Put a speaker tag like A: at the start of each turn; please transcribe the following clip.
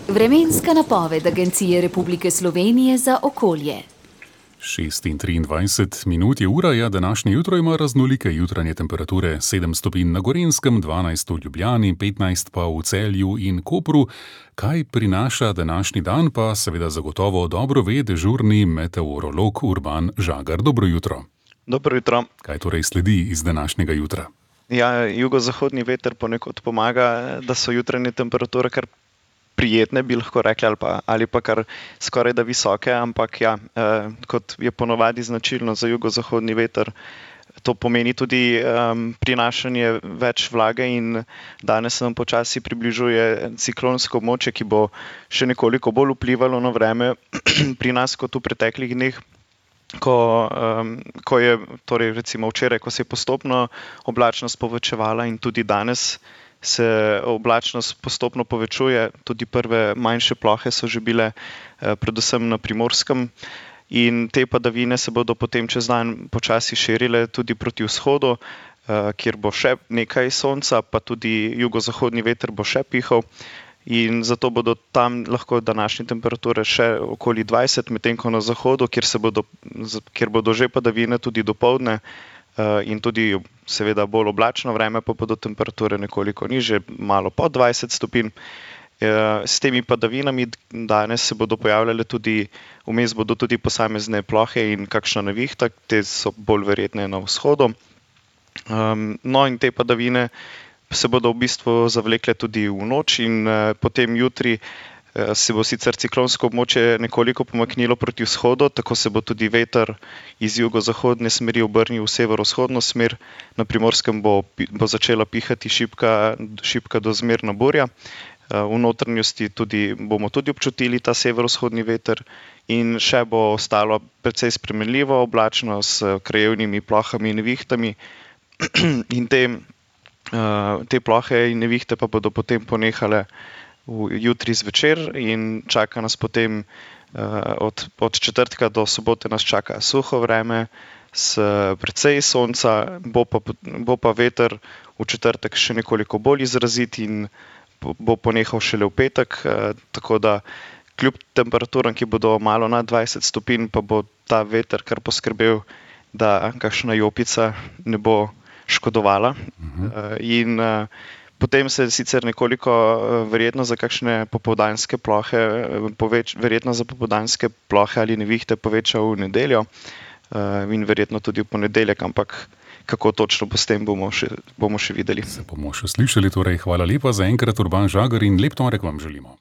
A: Vremenska napoved Agencije Republike Slovenije za okolje.
B: 6:23 je ura, današnje jutro ima raznolike jutranje temperature, 7 stopinj na Gorenjskem, 12 v Ljubljani, 15 pa v Celju in Kopru. Kaj prinaša današnji dan, pa seveda zagotovo dobro ve dežurni meteorolog Urban Žagar. Dobro jutro.
C: Dobro jutro.
B: Kaj torej sledi iz današnjega jutra?
C: Ja, jugozahodni veter ponekod pomaga, da so jutranje temperature kar prijetne, bi lahko rekli, ali pa kar skoraj da visoke, ampak ja, kot je ponavadi značilno za jugozahodni veter, to pomeni tudi prinašanje več vlage in danes nam počasi približuje ciklonsko območje, ki bo še nekoliko bolj vplivalo na vreme pri nas kot v preteklih dneh. Ko je, torej recimo včeraj, ko se je postopno oblačnost povečevala in tudi danes se oblačnost postopno povečuje, tudi prve manjše plohe so že bile predvsem na Primorskem in te padavine se bodo potem čez dan počasi širile tudi proti vzhodu, kjer bo še nekaj sonca, pa tudi jugozahodni veter bo še pihal. In zato bodo tam lahko današnje temperature še okoli 20, medtem ko na zahodu, kjer bodo že padavine tudi dopoldne in tudi seveda bolj oblačno vreme, pa bodo temperature nekoliko nižje, malo pod 20 stopinj. S temi padavinami danes se bodo pojavljale tudi, vmes bodo tudi posamezne plohe in kakšna nevihta, te so bolj verjetne na vzhodu. No in te padavine se bodo v bistvu zavlekle tudi v noč in potem jutri se bo sicer ciklonsko območje nekoliko pomaknilo proti vzhodu, tako se bo tudi veter iz jugozahodne smeri obrnil v severovzhodno smer. Na Primorskem bo začela pihati šibka do zmerna burja. V notranjosti bomo tudi občutili ta severovzhodni veter in še bo ostalo precej spremenljivo oblačno s krajevnimi plohami in nevihtami. In te plohe in nevihte pa bodo potem ponehale jutri zvečer in čaka nas potem od četrtka do sobote nas čaka suho vreme s precej sonca, bo pa veter v četrtek še nekoliko bolj izrazit in bo ponehal šele v petek, tako da kljub temperaturam, ki bodo malo nad 20 stopinj, pa bo ta veter kar poskrbel, da kakšna jopica ne bo škodovala. In potem se sicer nekoliko verjetno za kakšne popoldanske plohe, verjetno za popoldanske plohe ali nevihte poveča v nedeljo in verjetno tudi v ponedeljek, ampak kako točno bo s tem, bomo še videli.
B: Se bomo še slišali, torej hvala lepa za enkrat, Urban Žagar, in lep torek vam želimo.